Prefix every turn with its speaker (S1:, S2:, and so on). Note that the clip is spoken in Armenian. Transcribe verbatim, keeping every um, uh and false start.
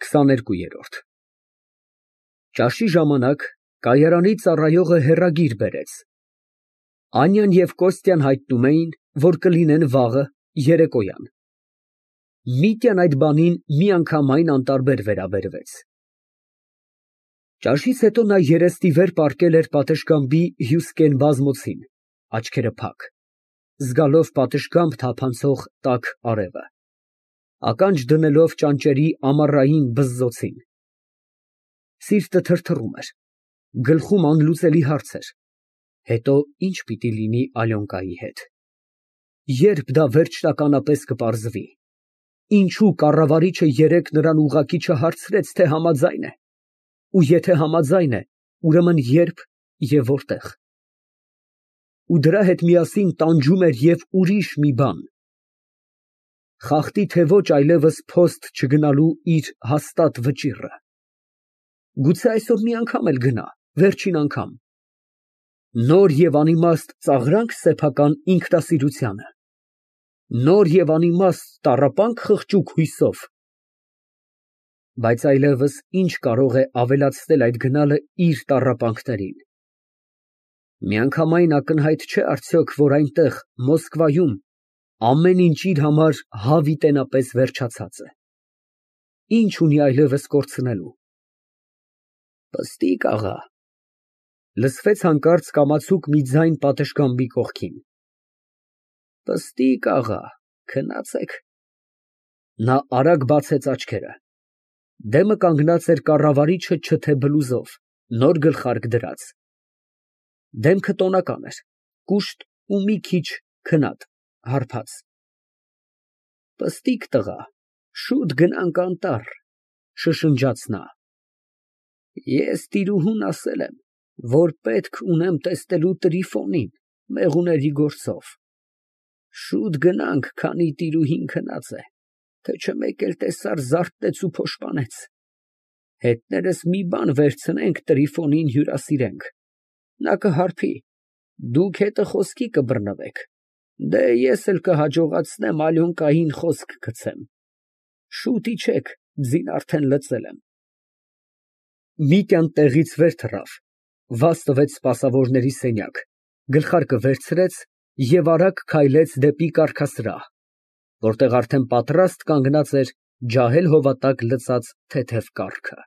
S1: քսաներկու։ Ճաշի ժամանակ կայարանի ծառայողը հեռագիր բերեց. Անյան և Կոստյան հայտնում էին, որ կլինեն վաղը, երեկոյան։ Միտյան այդ բանին միանգամայն անտարբեր վերաբերվեց։ Ճաշից հետո նա երեստ ի վեր պառկել էր պատշգամբի հյուսկեն բազմոցին, աչքերը փակ, զգալով պատշգամբ թափանցող տաք արևը, ականջ դնելով ճանճերի ամառային բզզոցին։ Սիրտը թրթռում էր, գլխում անլուծելի հարց էր. հետո ի՞նչ պիտի լինի Ալյոնկայի հետ, ե՞րբ դա վերջնականապես կպարզվի, ինչո՞ւ կառավարիչը երեկ նրան ուղղակի չհարցրեց, թե համաձայն է, ու եթե համաձայն է, ուրեմն ե՞րբ և որտե՞ղ։ Ու դրա հետ միասին տանջում էր և ուրիշ մի բան. խախտի թե ոչ այլևս փոստ չգնալու իր հաստատ վճիռը։ Գուցե այսօր մի անգամ էլ գնա, վերջին անգամ, նոր և անիմաստ ծաղրա՞նք սեփական ինքնասիրությանը, նոր և անիմաստ տառապա՞նք խղճուկ հույսով։ Բայց այլևս ի՞նչ կարող է ավելացնել այդ գնալը իր տառապանքներին։ Միանգամայն ակնհայտ չէ արդյոք, որ այնտեղ, Մոսկվայում, ամեն ինչ իր համար հավիտենապես վերջացած է։ Ի՞նչ ունի այլևս կորցնելու։ Պստիկ աղա, լսվեց հանկարծ կամացուկ մի ձայն պատշգամբի կողքին։ Պստիկ աղա, քնացեք։ Նա արագ բացեց աչքերը։ Դեմը կանգնած էր կառավարիչը չթե բլուզով, նոր գլխարկ դրած։ Դեմքը տոնական էր, կուշտ ու մի քիչ քնած, հարբած։ Պստիկ տղա, շուտ գնանք անտառ, շշնջաց նա։ Ես տիրուհուն ասել եմ, որ պետք ունեմ տեսնելու Տրիֆոնին, մեղուների գործով։ Շուտ գնանք, քանի տիրուհին քնած է, թե չէ մեկ էլ տեսար զարթնեց ու փոշմանեց։ Հետներս մի բան վերցնենք, Տրիֆոնին հյուրասիրենք, նա կհարբի, դուք հետը խոսքի կբռնվեք, դե ես էլ կհաջողացնեմ Ալյոնկային խոսք գցեմ։ Շուտ իջեք, ձին արդեն լծել եմ։ Միտյան տեղից վեր թռավ, վազ տվեց սպասավորների սենյակ, գլխարկը վերցրեց և արագ քայլեց դեպի կառքասրահ, որտեղ արդեն պատրաստ կանգնած էր ջահել հովատակ լցած թեթև կառքը։